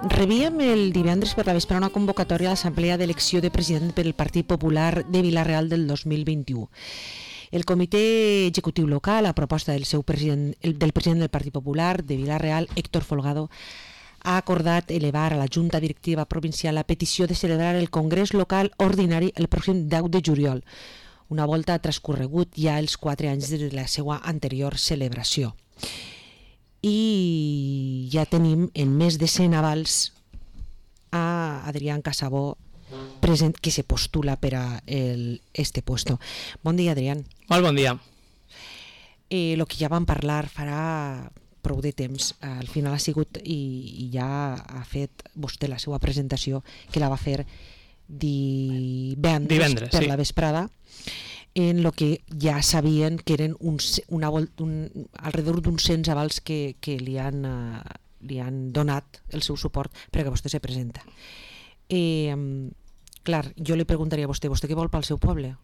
Rebíem el divendres per la vespre una convocatòria a l'Assemblea d'Elecció de President per el Partit Popular de Vila-real del 2021. El comitè executiu local, a proposta del president del Partit Popular de Vila-real, Héctor Folgado, ha acordat elevar a la Junta Directiva Provincial la petició de celebrar el Congrés Local Ordinari el pròxim 10 de juliol. Una volta ha transcorregut ja els 4 anys de la seva anterior celebració. I ja tenim en més de 100 avals a Adrián Casabó present, que se postula per a este puesto. Bon dia, Adrián. Molt bon dia. Lo que ja vam parlar farà prou de temps, al final ha sigut i ja ha fet vostè la seva presentació, que la va fer divendres per la vesprada, en lo que ja sabien que eren alrededor d'uns 100 avals que li han donat el seu suport perquè vostè se presenta. Clar, jo li preguntaria a vostè què vol pel seu poble?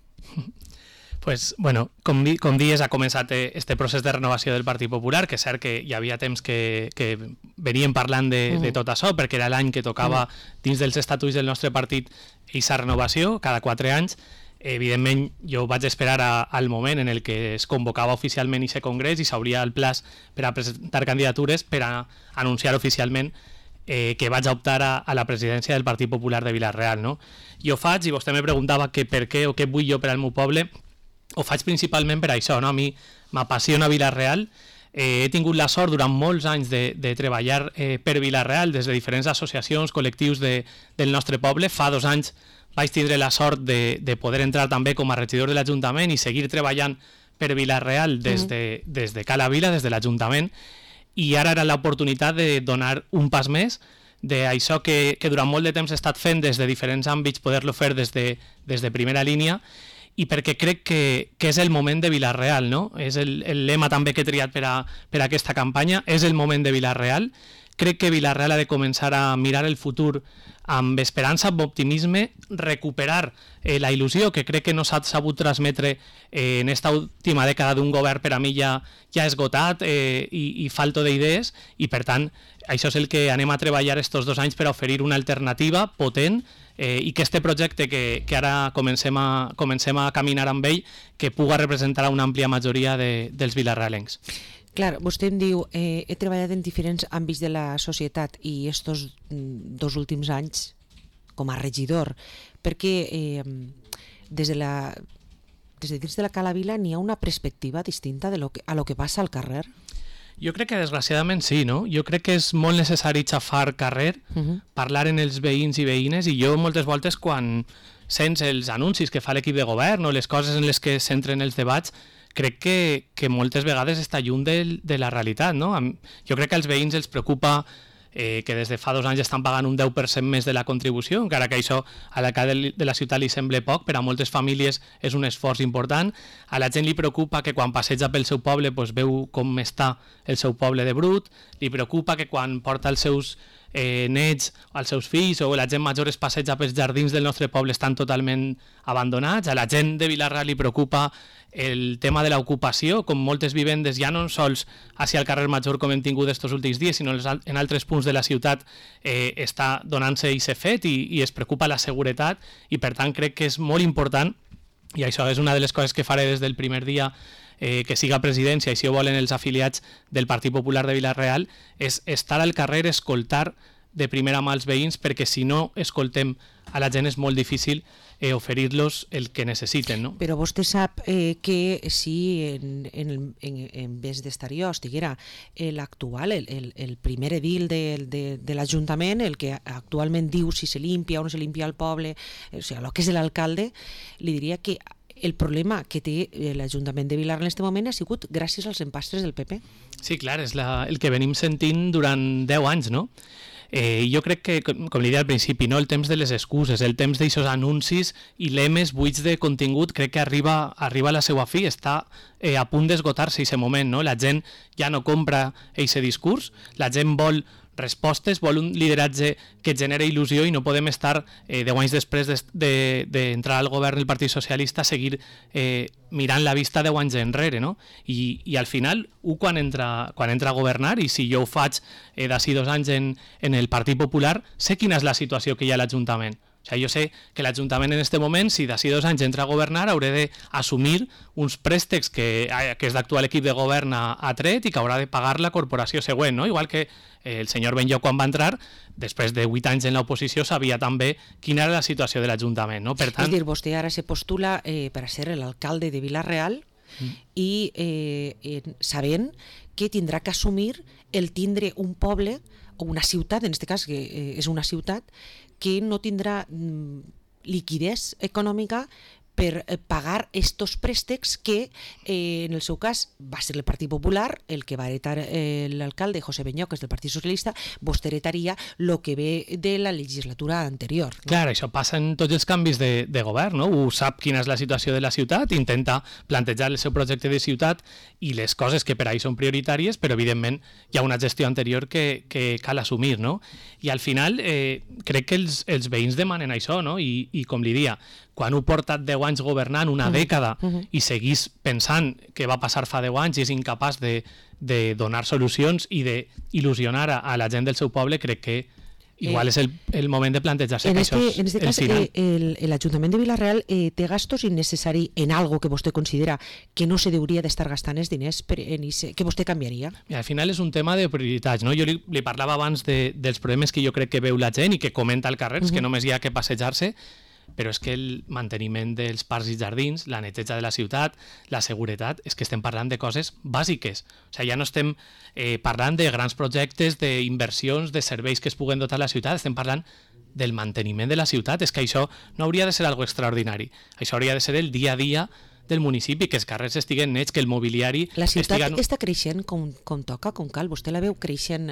Pues, bueno, com dies, ha començat este procés de renovació del Partit Popular, que és cert que hi havia temps que veníem parlant de tot això, perquè era l'any que tocava dins dels estatuts del nostre partit aquesta renovació, cada 4 anys. Evidentment, jo vaig esperar al moment en el que es convocava oficialment aquest congrés i s'obria el plaç per a presentar candidatures per a anunciar oficialment que vaig optar a la presidència del Partit Popular de Vila-real, no? Jo faig, i vostè me preguntava que per què o què vull jo per al meu poble, ho faig principalment per això, no? A mi m'apassiona Vila-real. He tingut la sort durant molts anys de treballar per Vila-real des de diferents associacions, col·lectius del nostre poble. Fa 2 anys vaig tindre la sort de poder entrar també com a regidor de l'Ajuntament i seguir treballant per Vila-real des de Cala Vila, des de l'Ajuntament, i ara era l'oportunitat de donar un pas més d'això que durant molt de temps he estat fent des de diferents àmbits, poder-lo fer des de primera línia, i perquè crec que és el moment de Vila-real, no? És el lema també que he triat per a aquesta campanya, és el moment de Vila-real. Crec que Vila-real ha de començar a mirar el futur amb esperança, amb optimisme, recuperar la il·lusió que crec que no s'ha sabut transmetre en esta última dècada d'un govern per a mi ja esgotat i falto d'idees, i per tant això és el que anem a treballar estos 2 anys per a oferir una alternativa potent i que este projecte que ara comencem a caminar amb ell que puga representar a una àmplia majoria dels vilarrealencs. Clar, vostè em diu, he treballat en diferents àmbits de la societat i estos 2 últims anys com a regidor, perquè des de dins de la Cala Vila n'hi ha una perspectiva distinta a lo que passa al carrer? Jo crec que desgraciadament sí, no? Jo crec que és molt necessari xafar carrer, parlar en els veïns i veïnes, i jo moltes voltes quan sents els anuncis que fa l'equip de govern o les coses en les que s'entren els debats, crec que moltes vegades està lluny de la realitat, no? Jo crec que als veïns els preocupa que des de fa 2 anys estan pagant un 10% més de la contribució, encara que això a l'alcalde de la ciutat li sembla poc, per a moltes famílies és un esforç important. A la gent li preocupa que quan passeja pel seu poble veu com està el seu poble de brut, li preocupa que quan porta els seus nets, els seus fills o la gent major es passeja pels jardins del nostre poble estan totalment abandonats. A la gent de Vila-real li preocupa el tema de l'ocupació, com moltes vivendes ja no sols hacia el carrer Major com hem tingut estos últims dies, sinó en altres punts de la ciutat està donant-se aquest fet i es preocupa la seguretat, i per tant crec que és molt important, i això és una de les coses que faré des del primer dia que siga presidència, i si ho volen els afiliats del Partit Popular de Vila-real, és estar al carrer, escoltar de primera mà els veïns, perquè si no escoltem a la gent és molt difícil oferir-los el que necessiten, no? Però vostè sap que si en vez d'estar jo estiguera l'actual, el primer edil de l'Ajuntament, el que actualment diu si se limpia o no se limpia el poble, o sigui, el que és l'alcalde, li diria que el problema que té l'Ajuntament de Vila-real en aquest moment ha sigut gràcies als empastres del PP. Sí, clar, és el que venim sentint durant 10 anys, no? Jo crec que, com li deia al principi, no, el temps de les excuses, el temps d'aixòs anuncis i lemes buits de contingut, crec que arriba a la seva fi, està a punt d'esgotar-se aquest moment, no? La gent ja no compra aquest discurs, la gent vol respostes, vol un lideratge que genera il·lusió i no podem estar 10 anys després d'entrar al govern del Partit Socialista seguir mirant la vista 10 anys enrere, no? I al final, quan entra a governar, i si jo ho faig d'ací 2 anys en el Partit Popular, sé quina és la situació que hi ha a l'Ajuntament. O sigui, jo sé que l'Ajuntament en aquest moment, si d'ací 2 anys entra a governar, hauré d'assumir uns préstecs que és d'actual equip de govern ha tret i que haurà de pagar la corporació següent, no? Igual que el senyor Benlloc, quan va entrar, després de 8 anys en l'oposició, sabia també quina era la situació de l'Ajuntament, no? Per tant... És dir, vostè ara se postula per a ser l'alcalde de Vila-real i sabent que tindrà que assumir el tindre un poble o una ciutat, en aquest cas que és una ciutat, que no tindrà liquidez econòmica per pagar estos préstecs que en el seu cas va ser el Partit Popular el que va heretar l'alcalde José Benlloc, que és del Partit Socialista. Vostè heretaria el que ve de la legislatura anterior, no? Clar, això passa en tots els canvis de govern, no? Ho sap quina és la situació de la ciutat, intenta plantejar el seu projecte de ciutat i les coses que per ahí són prioritàries, però evidentment hi ha una gestió anterior que cal assumir, no? I al final crec que els veïns demanen això, no? I com li dia, quan ho porta 10 anys governant, una dècada, i seguís pensant que va passar fa 10 anys i és incapaç de donar solucions i d'il·lusionar a la gent del seu poble, crec que igual és el moment de plantejar-se que això és en este cas, l'Ajuntament de Vila-real té gastos innecessaris en algo que vostè considera que no se hauria d'estar gastant els diners que vostè canviaria? Al final és un tema de prioritats, no? Jo li parlava abans dels problemes que jo crec que veu la gent i que comenta al carrer, que només hi ha que passejar-se, però és que el manteniment dels parcs i jardins, la neteja de la ciutat, la seguretat, és que estem parlant de coses bàsiques. O sigui, ja no estem parlant de grans projectes, d'inversions, de serveis que es puguen dotar la ciutat, estem parlant del manteniment de la ciutat. És que això no hauria de ser algo extraordinari. Això hauria de ser el dia a dia del municipi, que els carrers estiguen nets, que el mobiliari... La ciutat està creixent com toca, com cal? Vostè la veu creixent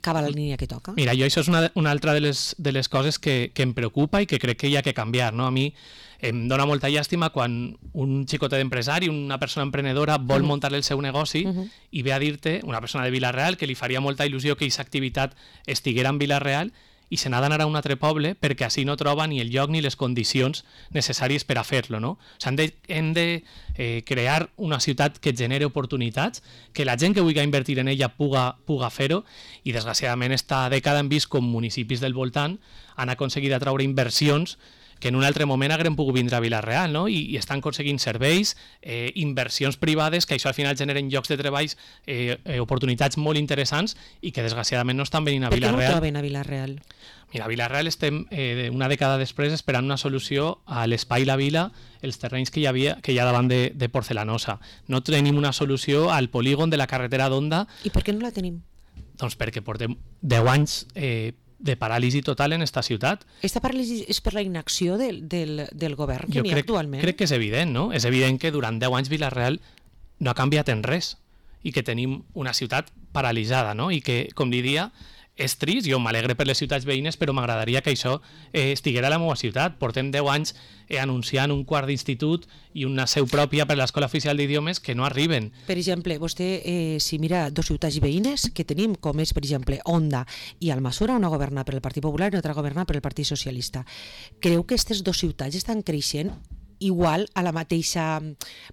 cap a la línia que toca? Mira, jo això és una altra de les coses que em preocupa i que crec que hi ha que canviar, no? A mi em dona molta llàstima quan un xicotet d'empresari, una persona emprenedora vol muntar el seu negoci i ve a dir-te, una persona de Vila-real, que li faria molta il·lusió que aquesta activitat estiguera en Vila-real i se n'ha d'anar a un altre poble perquè així no troba ni el lloc ni les condicions necessàries per a fer-lo, no? O sigui, hem de crear una ciutat que genere oportunitats, que la gent que vulgui invertir en ella puga fer-ho, i desgraciadament esta dècada hem vist com municipis del voltant han aconseguit atraure inversions que en un altre moment haguem pogut vindre a Vila-real, no? I estan aconseguint serveis, inversions privades, que això al final generen llocs de treballs, oportunitats molt interessants i que desgraciadament no estan venint a Vila-real. Per què no troben a Vila-real? Mira, a Vila-real estem una dècada després esperant una solució a l'Espai La Vila, els terrenys que hi ha davant de Porcelanosa. No tenim una solució al polígon de la carretera d'Onda. I per què no la tenim? Doncs perquè portem 10 anys de paràlisi total en esta ciutat. Esta paràlisi és per la inacció del govern que n'hi ha actualment? Crec que és evident, no? És evident que durant 10 anys Vila-real no ha canviat en res i que tenim una ciutat paralitzada, no? I que, com li dia, és trist, jo m'alegre per les ciutats veïnes, però m'agradaria que això estiguera a la meva ciutat. Portem 10 anys anunciant un quart d'institut i una seu pròpia per a l'Escola Oficial d'Idiomes que no arriben. Per exemple, vostè, si mira dos ciutats veïnes que tenim, com és, per exemple, Onda i Almassora, una governa per el Partit Popular i l'altra governa per el Partit Socialista, creu que aquestes dues ciutats estan creixent igual a la mateixa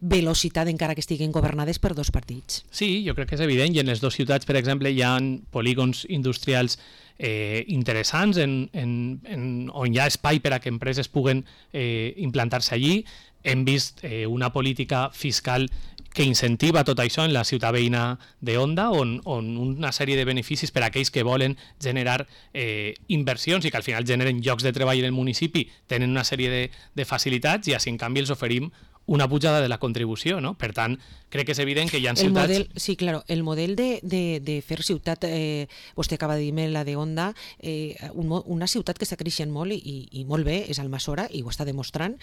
velocitat encara que estiguin governades per dos partits? Sí, jo crec que és evident, i en les dues ciutats, per exemple, hi ha polígons industrials interessants on hi ha espai per a que empreses puguen implantar-se allí. Hem vist una política fiscal que incentiva tot això en la ciutat veïna d'Onda, on una sèrie de beneficis per a aquells que volen generar inversions i que al final generen llocs de treball en el municipi tenen una sèrie de facilitats, i així en canvi els oferim una pujada de la contribució, no? Per tant, crec que és evident que hi ha ciutats... Sí, claro, el model de fer ciutat, vostè acaba de dir-me la de Onda, una ciutat que està creixent molt i molt bé és Almassora, i ho està demostrant.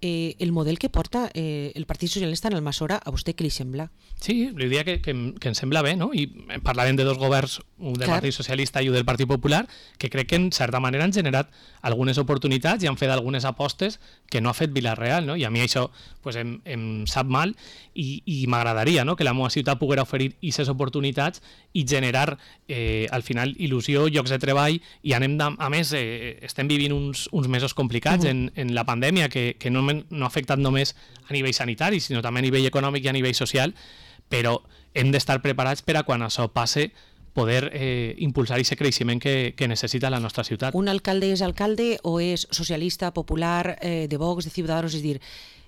El model que porta el Partit Socialista en Almassora, a vostè què li sembla? Sí, li diria que em sembla bé, no? I parlàvem de dos governs, un del Partit Socialista i un del Partit Popular, que crec que en certa manera han generat algunes oportunitats i han fet algunes apostes que no ha fet Vila-real, no? I a mi això pues em sap mal i m'agradaria, no?, que la meva ciutat poguera oferir aquestes oportunitats i generar al final il·lusió, llocs de treball i a més estem vivint uns mesos complicats en la pandèmia que no ha afectat només a nivell sanitari sinó també a nivell econòmic i a nivell social, però hem d'estar preparats per a quan això passe poder impulsar aquest creixement que necessita la nostra ciutat. Un alcalde és alcalde o és socialista, popular, de Vox, de Ciudadanos? És a dir,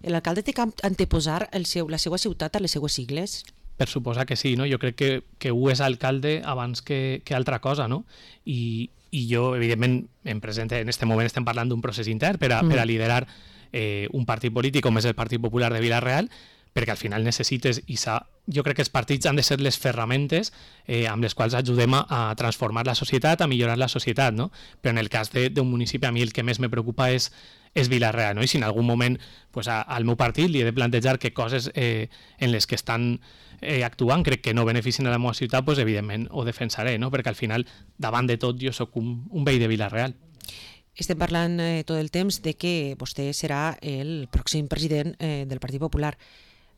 l'alcalde té que anteposar la seva ciutat a les seues sigles? Per suposar que sí, no? Jo crec que un és alcalde abans que altra cosa, no? I jo, evidentment, en aquest moment estem parlant d'un procés intern per a liderar un partit polític com és el Partit Popular de Vila-real, perquè al final necessites, jo crec que els partits han de ser les ferramentes amb les quals ajudem a transformar la societat, a millorar la societat, no? Però en el cas d'un municipi, a mi el que més me preocupa és Vila-real, no? I si en algun moment al meu partit li he de plantejar que coses en les que estan actuant crec que no beneficien a la meva ciutat, doncs evidentment ho defensaré, no? Perquè al final, davant de tot, jo sóc un veí de Vila-real. Estem parlant tot el temps de que vostè serà el pròxim president del Partit Popular.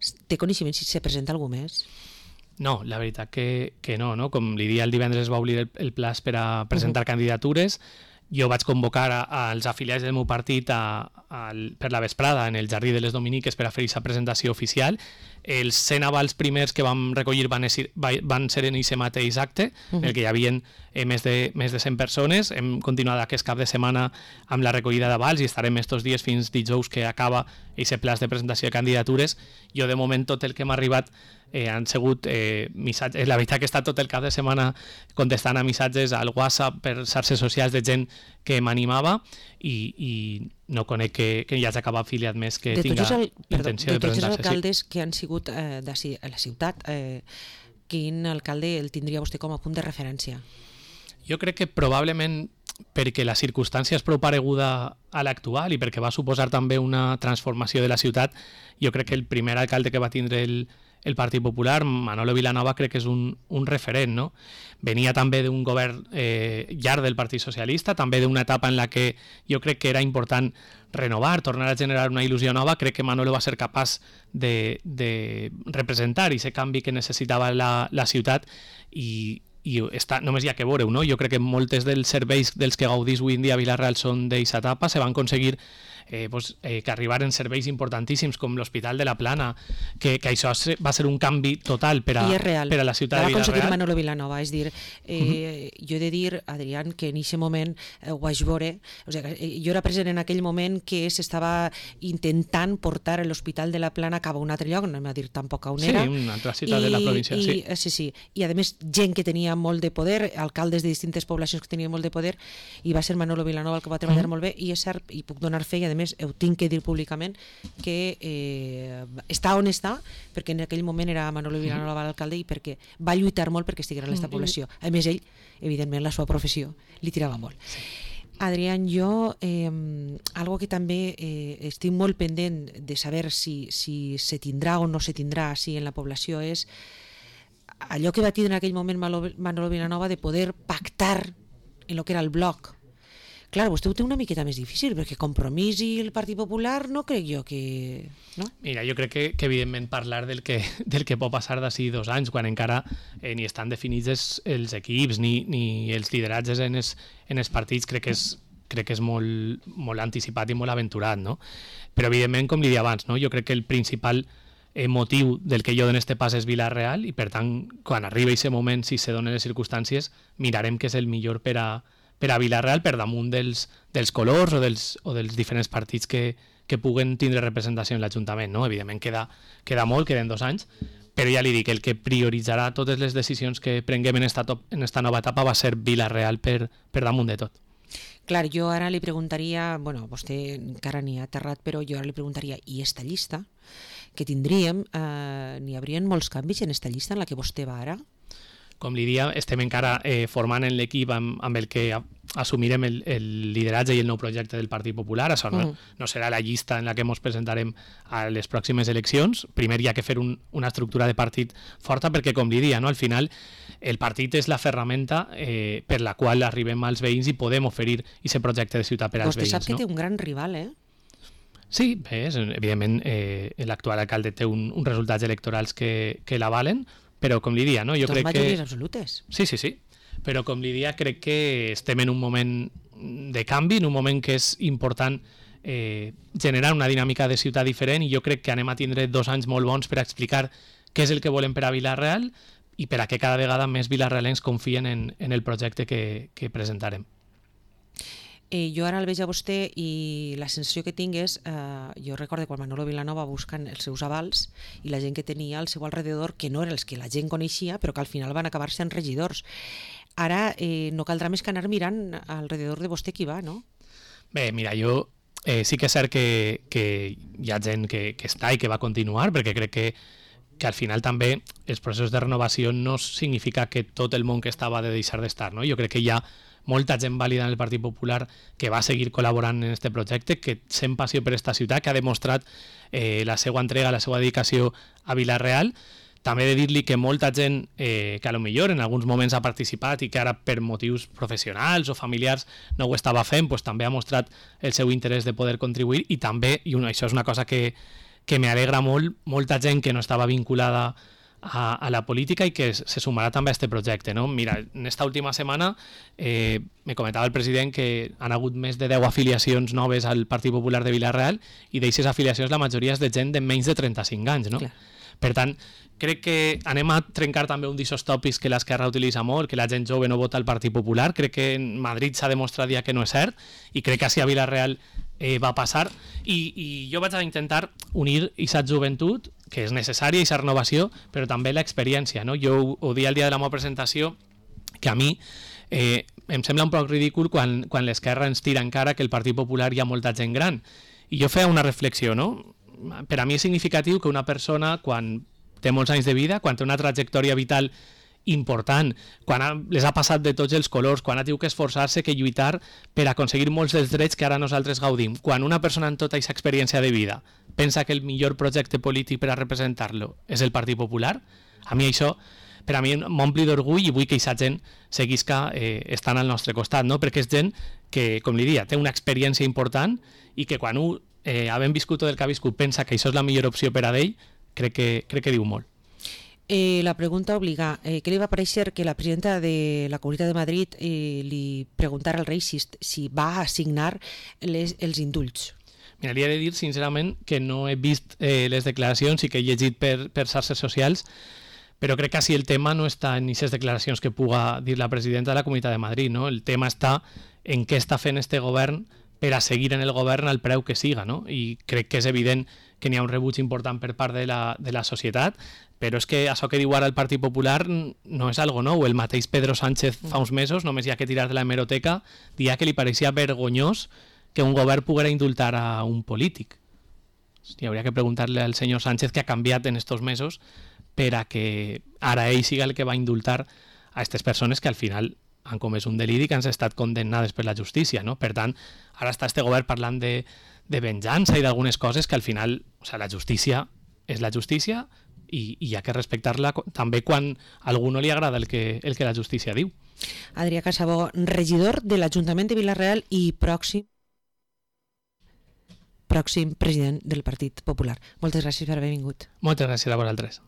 Té coneixement si se presenta algú més? No, la veritat que no, no? Com li dia el divendres va obrir el plaç per a presentar candidatures. Jo vaig convocar als afiliats del meu partit per la vesprada en el Jardí de les Dominiques per a fer aquesta presentació oficial. Els 100 avals primers que vam recollir van ser en aquest mateix acte, en el que hi havia més de 100 persones. Hem continuat aquest cap de setmana amb la recollida d'avals i estarem estos dies fins dijous que acaba aquest plaç de presentació de candidatures. Jo, de moment, tot el que m'ha arribat han sigut missatges. La veritat que he estat tot el cap de setmana contestant a missatges al WhatsApp per xarxes socials de gent que m'animava i no conec que hi hagi cap afiliat més que tinga intenció de presentar-se. De tots els alcaldes que han sigut a la ciutat, quin alcalde el tindria vostè com a punt de referència? Jo crec que probablement perquè la circumstància és prou pareguda a l'actual i perquè va suposar també una transformació de la ciutat, jo crec que el primer alcalde que va tindre el Partit Popular, Manolo Vilanova, crec que és un referent, no? Venia també d'un govern llarg del Partit Socialista, també d'una etapa en la que jo crec que era important renovar, tornar a generar una il·lusió nova. Crec que Manolo va ser capaç de representar aquest canvi que necessitava la ciutat i només hi ha que veure-ho, no? Jo crec que moltes dels serveis dels que gaudís avui en dia Vila-real són d'aquesta etapa, se van aconseguir que arribaren serveis importantíssims com l'Hospital de la Plana, que això va ser un canvi total per a la ciutat de Vila-real. Va aconseguir Manolo Vilanova, és dir, jo he de dir, Adrián, que en aquest moment ho vaig veure, o sigui, jo era present en aquell moment que s'estava intentant portar l'Hospital de la Plana cap a un altre lloc, no anem a dir tampoc on era. Sí, una altra ciutat de la província, sí. Sí. I a més, gent que tenia molt de poder, alcaldes de distintes poblacions que tenien molt de poder, i va ser Manolo Vilanova el que va treballar molt bé, i és cert, i puc donar fe, i a més ho tinc que dir públicament, que està on està, perquè en aquell moment era Manolo Vilanova l'alcalde i perquè va lluitar molt perquè estigués en aquesta població. A més, ell, evidentment, la seva professió li tirava molt. Adrián, jo, algo que també estic molt pendent de saber si se tindrà o no se tindrà així en la població és allò que va tindre en aquell moment Manolo Vilanova de poder pactar en el que era el bloc. Clar, vostè ho té una miqueta més difícil, perquè Compromís i el Partit Popular no crec jo que... No? Mira, jo crec que evidentment parlar del que pot passar d'ací 2 anys, quan encara ni estan definits els equips ni els lideratges en els partits, crec que és molt anticipat i molt aventurat, no? Però evidentment, com li deia abans, no? Jo crec que el principal motiu del que jo dono este pas és Vila-real i per tant, quan arribi aquest moment, si se donen les circumstàncies, mirarem què és el millor per a Vila-real per damunt dels colors o dels diferents partits que puguen tindre representació en l'Ajuntament, no? Evidentment queda molt, queden 2 anys, però ja li dic, el que prioritzarà totes les decisions que prenguem en esta nova etapa va ser Vila-real per damunt de tot. Clar, jo ara li preguntaria, bueno, vostè encara n'hi ha aterrat, però jo ara li preguntaria, i esta llista que tindríem, n'hi haurien molts canvis en esta llista en la que vostè va ara? Com li dia, estem encara formant en l'equip amb el que assumirem el lideratge i el nou projecte del Partit Popular. Això no serà la llista en la que ens presentarem a les pròximes eleccions. Primer hi ha que fer una estructura de partit forta perquè, com li dia, no? Al final el partit és la ferramenta per la qual arribem als veïns i podem oferir aquest projecte de ciutat per als veïns. Vostè sap que té un gran rival, eh? Sí, bé, evidentment l'actual alcalde té uns resultats electorals que l'avalen, però com li dia, no? Jo crec majories absolutes. Sí, però com li dia crec que estem en un moment de canvi, en un moment que és important generar una dinàmica de ciutat diferent, i jo crec que anem a tindre 2 anys molt bons per explicar què és el que volem per a Vila-real i per a que cada vegada més vilarrealencs confien en el projecte que presentarem. Jo ara el veig a vostè i la sensació que tinc és, jo recordo quan Manolo Vilanova buscant els seus avals i la gent que tenia al seu alrededor, que no eren els que la gent coneixia, però que al final van acabar sent regidors. Ara no caldrà més que anar mirant alrededor de vostè qui va, no? Bé, mira, jo sí que és cert que hi ha gent que està i que va continuar, perquè crec que al final també els processos de renovació no significa que tot el món que estava ha de deixar d'estar, no? Jo crec que hi ha molta gent vàlida en el Partit Popular que va seguir col·laborant en aquest projecte, que sent passió per aquesta ciutat, que ha demostrat la seva entrega, la seva dedicació a Vila-real. També he de dir-li que molta gent que a lo millor en alguns moments ha participat i que ara per motius professionals o familiars no ho estava fent, doncs també ha mostrat el seu interès de poder contribuir, i també, i això és una cosa que m'alegra molt, molta gent que no estava vinculada a la política i que se sumarà també a aquest projecte, no? Mira, en esta última setmana me comentava el president que han hagut més de 10 afiliacions noves al Partit Popular de Vila-real, i d'aquestes afiliacions la majoria és de gent de menys de 35 anys, no? Clar. Per tant, crec que anem a trencar també un d'aquests tòpics que l'Esquerra utilitza molt, que la gent jove no vota al Partit Popular. Crec que en Madrid s'ha demostrat ja que no és cert, i crec que així a Vila-real va passar, i jo vaig a intentar unir aquesta joventut, que és necessària, aquesta renovació, però també l'experiència, no? Jo ho dia el dia de la meva presentació, que a mi em sembla un poc ridícul quan l'Esquerra ens tira encara que el Partit Popular hi ha molta gent gran, i jo feia una reflexió, no? Per a mi és significatiu que una persona, quan té molts anys de vida, quan té una trajectòria vital important, quan les ha passat de tots els colors, quan ha tingut que esforçar-se, que lluitar per aconseguir molts dels drets que ara nosaltres gaudim, quan una persona amb tota aquesta experiència de vida pensa que el millor projecte polític per a representar-lo és el Partit Popular, a mi això per a mi m'ompli d'orgull, i vull que aquesta gent seguisca estant al nostre costat, no? Perquè és gent que, com li dia, té una experiència important, i que quan havent viscut tot el que ha viscut pensa que això és la millor opció per a ell, crec que diu molt. La pregunta obliga, què li va parèixer que la presidenta de la Comunitat de Madrid li preguntara al rei si va assignar els indults? Mira, li he de dir sincerament que no he vist les declaracions i que he llegit per xarxes socials, però crec que així el tema no està en aquestes declaracions que puga dir la presidenta de la Comunitat de Madrid, no? El tema està en què està fent este govern per a seguir en el govern al preu que siga, no? I crec que és evident que n'hi ha un rebuig important per part de la societat, però és que això que diu ara el Partit Popular no és algo nou. El mateix Pedro Sánchez fa uns mesos, només hi ha que tirar de la hemeroteca, dia que li pareixia vergonyós que un govern poguera indultar a un polític. Hòstia, hauria que preguntar-li al senyor Sánchez què ha canviat en estos mesos per a que ara ell siga el que va indultar a aquestes persones que al final han comès un deliri, que han estat condemnades per la justícia, no? Per tant, ara està este govern parlant de venjança i d'algunes coses que al final, o sea, la justícia és la justícia, i hi ha que respectar-la també quan a algú no li agrada el que la justícia diu. Adrià Casabó, regidor de l'Ajuntament de Vila-real i pròxim president del Partit Popular. Moltes gràcies per haver vingut. Moltes gràcies a vosaltres.